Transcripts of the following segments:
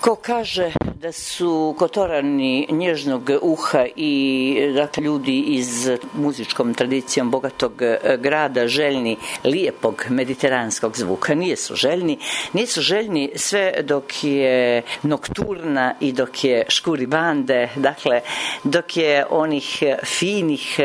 Ko kaže da su Kotorani nježnog uha i dakle, ljudi iz muzičkom tradicijom bogatog grada željni lijepog mediteranskog zvuka. Nisu željni sve dok je nokturna i dok je škuri bande, dakle dok je onih finih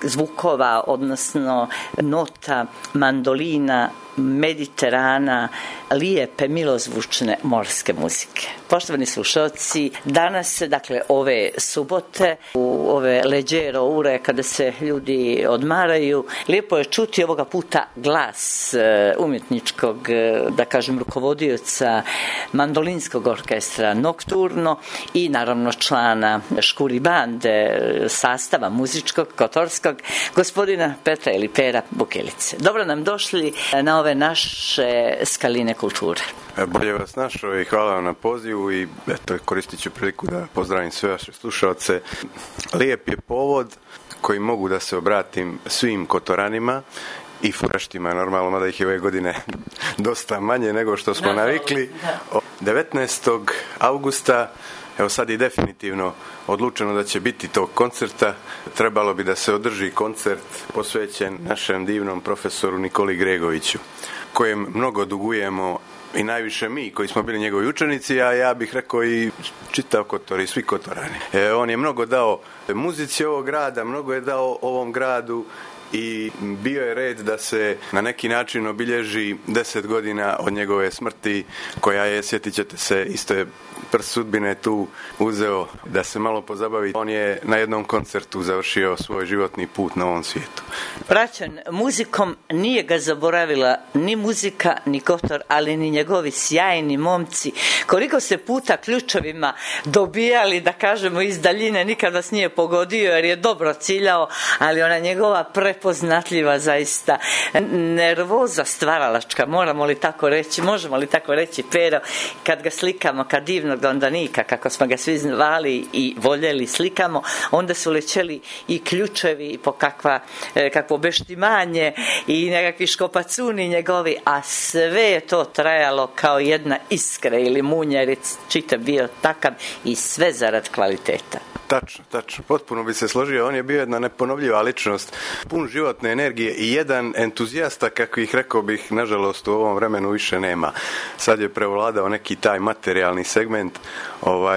zvukova, odnosno nota mandolina, Mediterana, lijepe, milozvučne morske muzike. Poštovani slušalci, danas, dakle ove subote, u ove leđero ure kada se ljudi odmaraju, lijepo je čuti ovoga puta glas umjetničkog, da kažem, rukovodioca mandolinskog orkestra Nokturno i naravno člana škuri bande sastava muzičkog, kotorskog, gospodina Petra ili Pera Bukelice. Dobro nam došli na ove naše skaline kulture. Bolje vas našao i hvala vam na pozivu i eto, koristit ću priliku da pozdravim sve vaše slušalce. Lijep je povod koji mogu da se obratim svim Kotoranima i furaštima, normalno, mada ih je ove godine dosta manje nego što smo navikli. 19. augusta, evo sad je definitivno odlučeno da će biti tog koncerta. Trebalo bi da se održi koncert posvećen našem divnom profesoru Nikoli Gregoviću, kojem mnogo dugujemo i najviše mi koji smo bili njegovi učenici, a ja bih rekao i čitav Kotor i svi Kotorani. On je mnogo dao muzici ovog grada, mnogo je dao ovom gradu i bio je red da se na neki način obilježi 10 godina od njegove smrti, koja je, sjetit ćete se, isto je prst sudbine tu uzeo da se malo pozabavi. On je na jednom koncertu završio svoj životni put na ovom svijetu. Praćen muzikom, nije ga zaboravila ni muzika, ni Kotor, ali ni njegovi sjajni momci. Koliko se puta ključevima dobijali, da kažemo, iz daljine, nikad vas nije pogodio jer je dobro ciljao, ali ona njegova prepoznatljiva zaista nervoza stvaralačka, možemo li tako reći, Pero, kad ga slikamo, kad divnog Dondanika, kako smo ga svi zvali i voljeli, slikamo, onda su lećeli i ključevi i po kakvo beštimanje i nekakvi škopacuni njegovi, a sve je to trajalo kao jedna iskra ili munjeric, čitav bio takav i sve zarad kvaliteta. Tačno, potpuno bi se složio, on je bio jedna neponovljiva ličnost, pun životne energije i jedan entuzijasta kakvih, rekao bih, nažalost u ovom vremenu više nema. Sad je prevladao neki taj materijalni segment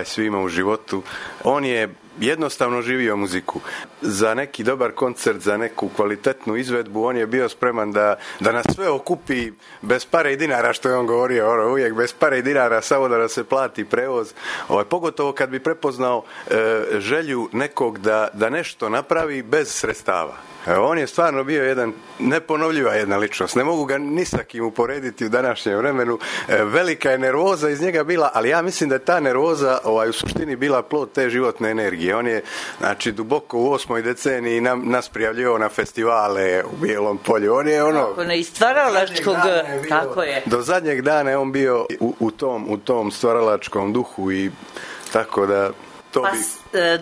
svima u životu. On je jednostavno živio muziku. Za neki dobar koncert, za neku kvalitetnu izvedbu, on je bio spreman da nas sve okupi bez pare i dinara, što je on govorio, uvijek bez pare i dinara, samo da se plati prevoz. Pogotovo kad bi prepoznao želju nekog da nešto napravi bez sredstava. On je stvarno bio jedan neponovljiva jedna ličnost. Ne mogu ga ni sa kim uporediti u današnjem vremenu. Velika je nervoza iz njega bila, ali ja mislim da je ta nervoza u suštini bila plod te životne energije. On je, znači, duboko u 8. deceniji nas prijavljivao na festivale u Bijelom polju. On je iz stvaralačkog, tako je. Do zadnjeg dana je on bio u tom stvaralačkom duhu i tako da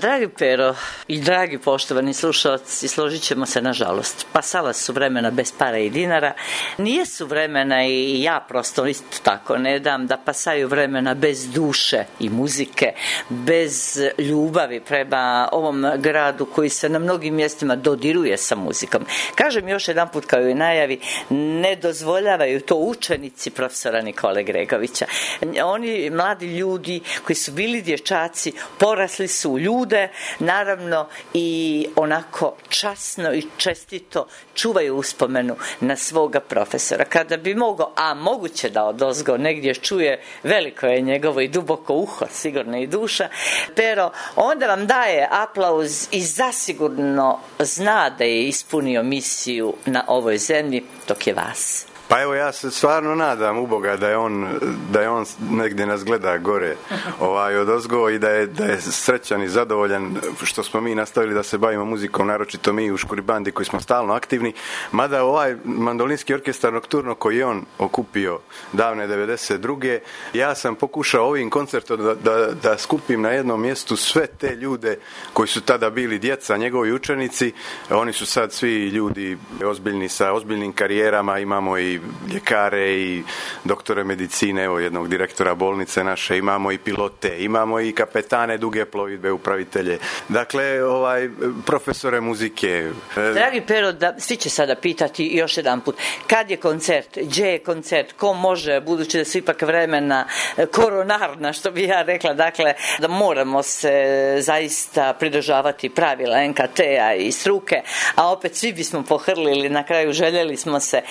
dragi Pero i dragi poštovani slušalci, složit ćemo se, nažalost, pasala su vremena bez para i dinara, nijesu vremena, i ja prosto isto tako ne dam, da pasaju vremena bez duše i muzike, bez ljubavi prema ovom gradu koji se na mnogim mjestima dodiruje sa muzikom. Kažem još jedan put, kao i najavi, ne dozvoljavaju to učenici profesora Nikole Gregovića. Oni mladi ljudi koji su bili dječaci, porasli su u ljude, naravno, i onako časno i čestito čuvaju uspomenu na svoga profesora. Kada bi mogao, a moguće da odozgo negdje čuje, veliko je njegovo i duboko uho, sigurno i duša, Pero, onda vam daje aplauz i zasigurno zna da je ispunio misiju na ovoj zemlji dok je vas. Pa evo, ja se stvarno nadam u Boga da je on negdje nas gleda gore odozgo i da je srećan i zadovoljan što smo mi nastavili da se bavimo muzikom, naročito mi u škuri bandi koji smo stalno aktivni, mada ovaj mandolinski orkestar Nokturno koji je on okupio davne 92. ja sam pokušao ovim koncertom da skupim na jednom mjestu sve te ljude koji su tada bili djeca, njegovi učenici. Oni su sad svi ljudi ozbiljni, sa ozbiljnim karijerama, imamo i i ljekare i doktore medicine, evo jednog direktora bolnice naše, imamo i pilote, imamo i kapetane duge plovidbe, upravitelje. Dakle, profesore muzike. Dragi Pero, svi će sada pitati još jedan put, kad je koncert, gdje je koncert, ko može, budući da su ipak vremena koronarna, što bi ja rekla, dakle, da moramo se zaista pridržavati pravila NKT-a i struke, a opet svi bismo pohrlili, na kraju željeli smo se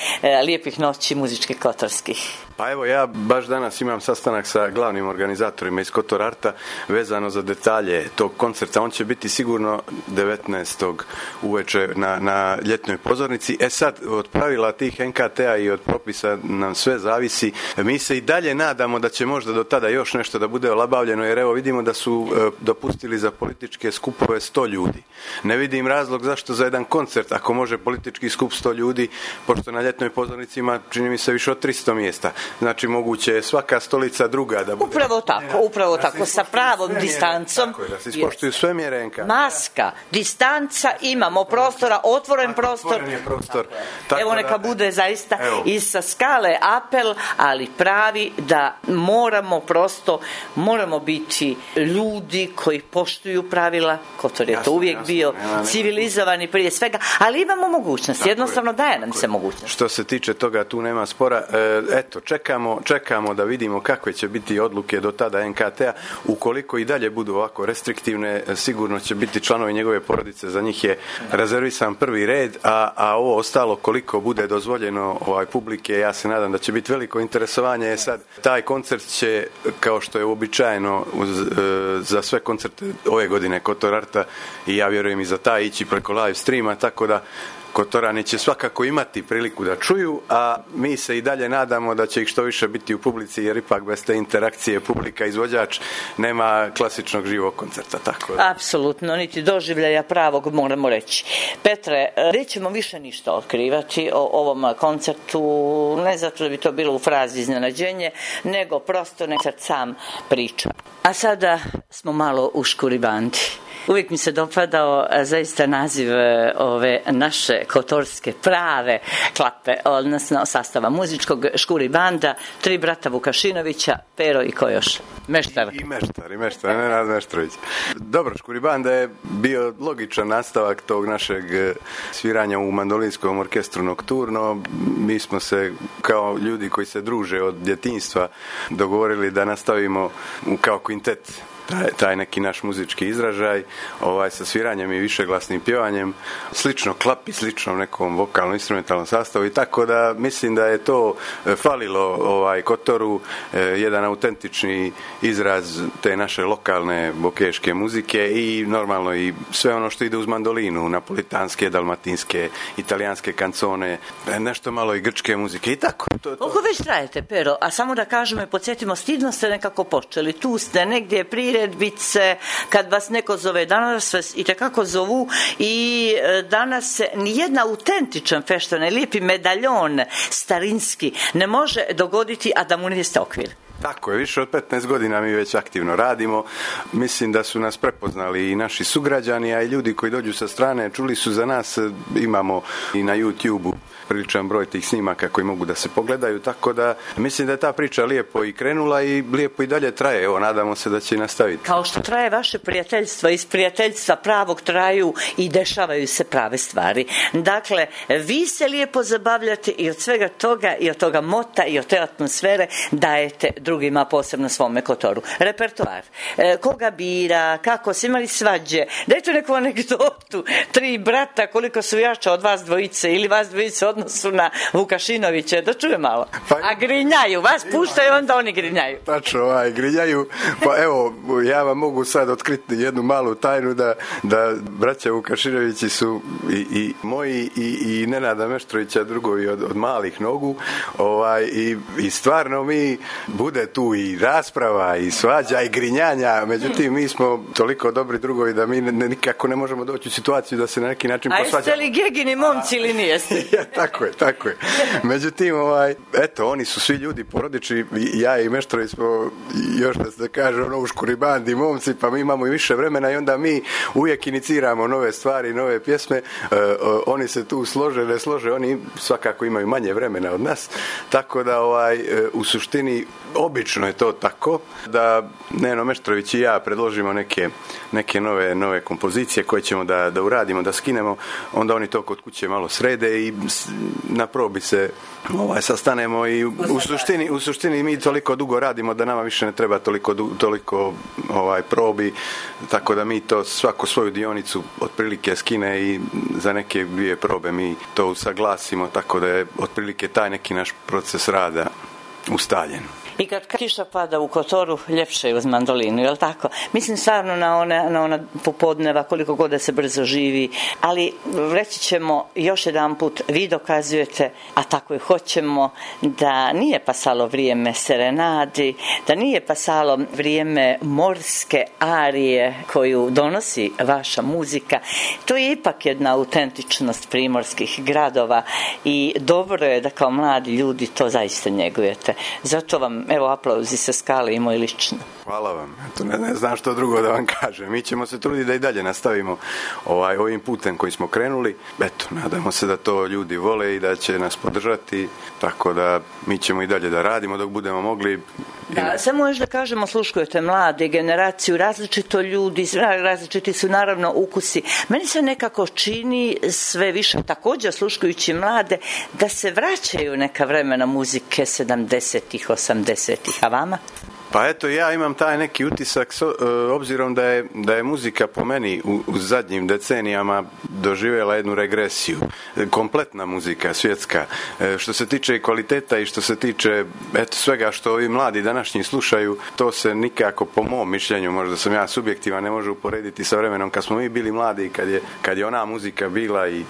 lijepih noći muzičkih kotorskih. Pa evo, ja baš danas imam sastanak sa glavnim organizatorima iz Kotor Arta vezano za detalje tog koncerta. On će biti sigurno 19. uveče na ljetnoj pozornici. Sad, od pravila tih NKT-a i od propisa nam sve zavisi. Mi se i dalje nadamo da će možda do tada još nešto da bude olabavljeno, jer evo vidimo da su dopustili za političke skupove 100 ljudi. Ne vidim razlog zašto za jedan koncert, ako može politički skup 100 ljudi, pošto na ljetnoj pozornici ima, čini mi se, više od 300 mjesta. Znači, moguće je svaka stolica druga da bude... Upravo tako, sa pravom distancom. Tako je, da se ispoštuju sve mjere NK. Maska, distanca, imamo prostora, otvoren prostor. Otvoren je prostor. Evo, neka bude zaista i sa skale apel, ali pravi da moramo biti ljudi koji poštuju pravila. Kotor je to uvijek bio civilizovani prije svega, ali imamo mogućnost, jednostavno daje nam se mogućnost. Što se tiče toga, tu nema spora. Eto, čekamo da vidimo kakve će biti odluke do tada NKT-a. Ukoliko i dalje budu ovako restriktivne, sigurno će biti članovi njegove porodice, za njih je rezervisan prvi red, a ovo ostalo koliko bude dozvoljeno publike, ja se nadam da će biti veliko interesovanje. Sad, taj koncert će, kao što je uobičajeno za sve koncerte ove godine Kotor Arta, i ja vjerujem i za taj, ići preko live streama, tako da Kotorani će svakako imati priliku da čuju, a mi se i dalje nadamo da će ih što više biti u publici, jer ipak bez te interakcije publika izvođač nema klasičnog živog koncerta. Tako da. Apsolutno, niti doživljaja pravog, moramo reći. Petre, nećemo više ništa otkrivati o ovom koncertu, ne zato da bi to bilo u frazi iznenađenje, nego prosto koncert sam priča. A sada smo malo u Škuri bandi. Uvijek mi se dopadao zaista naziv ove naše kotorske prave klape, odnosno sastava muzičkog Škuri banda, 3 brata Vukašinovića, Pero i ko još? Meštar. I meštar, Nenad Meštrović. Dobro, Škuri banda je bio logičan nastavak tog našeg sviranja u mandolinskom orkestru Nokturno. Mi smo se kao ljudi koji se druže od djetinjstva dogovorili da nastavimo kao kvintet taj neki naš muzički izražaj, sa sviranjem i višeglasnim pjevanjem, slično klapi, slično nekom vokalno-instrumentalnom sastavu, i tako da mislim da je to falilo Kotoru, jedan autentični izraz te naše lokalne bokeške muzike i normalno i sve ono što ide uz mandolinu, napolitanske, dalmatinske, italijanske kancone, nešto malo i grčke muzike i tako. Koliko već trajete, Pero? A samo da kažemo i podsjetimo, stidno ste nekako počeli, tu ste negdje priredbice, kad vas neko zove, danas vas i tekako zovu, i danas se nijedna autentičan feštan, lijepi medaljon starinski ne može dogoditi, a da mu ne jeste okvir. Tako je, više od 15 godina mi već aktivno radimo. Mislim da su nas prepoznali i naši sugrađani, a i ljudi koji dođu sa strane, čuli su za nas, imamo i na YouTube-u priličan broj tih snimaka koji mogu da se pogledaju, tako da mislim da je ta priča lijepo i krenula i lijepo i dalje traje. Evo, nadamo se da će i nastaviti. Kao što traje vaše prijateljstvo, iz prijateljstva pravog traju i dešavaju se prave stvari. Dakle, vi se lijepo zabavljate i od svega toga, i od toga mota, i od te atmosfere dajete drugima, posebno svome Kotoru. Repertoar. Koga bira, kako se imali svađe. Dajte neku anegdotu. 3 brata, koliko su jača od vas dvojice ili vas dvojice odnosu na Vukašinoviće, da čuje malo. A grinjaju, vas puštaju, onda oni grinjaju. Tačno, grinjaju. Pa evo, ja vam mogu sad otkriti jednu malu tajnu da braća Vukašinovići su i moji i Nenada Meštrovića drugovi od malih nogu, i stvarno mi bude bude tu i rasprava i svađa i grinjanja, međutim mi smo toliko dobri drugovi da mi nikako ne možemo doći u situaciju da se na neki način posvađamo. A jeste li Gegini momci ili nijeste? Ja, tako je. Međutim, eto, oni su svi ljudi porodični, ja i Meštrović smo još da se kaže u škuri bandi momci, pa mi imamo i više vremena i onda mi uvijek iniciramo nove stvari, nove pjesme, oni se tu slože, ne slože, oni svakako imaju manje vremena od nas, tako da u suštini obično je to tako da Neno Meštrović i ja predložimo neke nove kompozicije koje ćemo da uradimo, da skinemo, onda oni to kod kuće malo srede i na probi se sastanemo i u suštini mi toliko dugo radimo da nama više ne treba toliko probi, tako da mi to svako svoju dionicu otprilike skine i za neke 2 probe mi to usaglasimo, tako da je otprilike taj neki naš proces rada ustaljen. I kad kiša pada u Kotoru, ljepše je uz mandolinu, je li tako? Mislim stvarno na ona popodneva, koliko god da se brzo živi, ali reći ćemo još jedan put, vi dokazujete, a tako i hoćemo, da nije pasalo vrijeme serenadi, da nije pasalo vrijeme morske arije koju donosi vaša muzika. To je ipak jedna autentičnost primorskih gradova i dobro je da kao mladi ljudi to zaista njegujete. Zato vam evo aplauzi sa skale i moj lično. Hvala vam. Eto, ne znam što drugo da vam kažem. Mi ćemo se truditi da i dalje nastavimo ovim putem koji smo krenuli. Eto, nadamo se da to ljudi vole i da će nas podržati, tako da mi ćemo i dalje da radimo dok budemo mogli. Da, samo još da kažemo, sluškujete mlade generaciju, različito ljudi, različiti su naravno ukusi. Meni se nekako čini sve više, također sluškujući mlade, da se vraćaju neka vremena muzike 70-ih, 80-ih, a vama? Pa eto, ja imam taj neki utisak, obzirom da je muzika po meni u zadnjim decenijama doživjela jednu regresiju. Kompletna muzika, svjetska. Što se tiče kvaliteta i što se tiče svega što ovi mladi današnji slušaju, to se nikako, po mom mišljenju, možda sam ja subjektivan, ne može uporediti sa vremenom kad smo mi bili mladi, kad je ona muzika bila i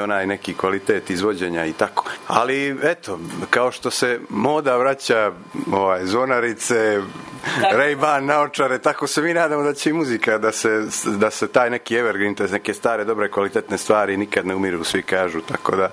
onaj neki kvalitet izvođenja i tako. Ali eto, kao što se moda vraća, zvonarice, Ray-Ban naočare, tako se mi nadamo da će i muzika, da se taj neki evergreen, te neke stare, dobre, kvalitetne stvari nikad ne umiru, svi kažu, tako da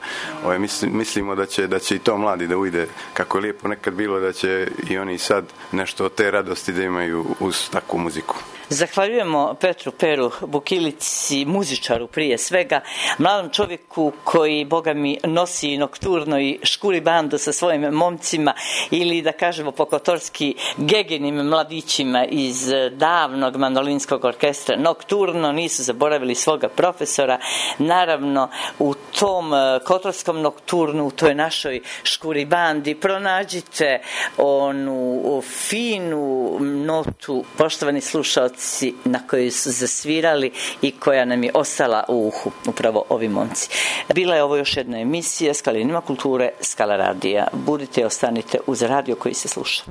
mislimo da će i to mladi da ujde, kako je lijepo nekad bilo, da će i oni sad nešto od te radosti da imaju uz takvu muziku. Zahvaljujemo Petru Peru Bukilici, muzičaru prije svega, mladom čovjeku koji, boga mi, nosi nokturno i škuri bandu sa svojim momcima ili da kažemo pokotorski Geginim mladićima iz davnog mandolinskog orkestra Nokturno, nisu zaboravili svoga profesora. Naravno, u tom kotorskom Nokturnu, u toj našoj škuri bandi, pronađite onu finu notu, poštovani slušalci, na kojoj su zasvirali i koja nam je ostala u uhu, upravo ovi momci. Bila je ovo još jedna emisija Skalinima kulture, Skala radija. Budite i ostanite uz radio koji se sluša.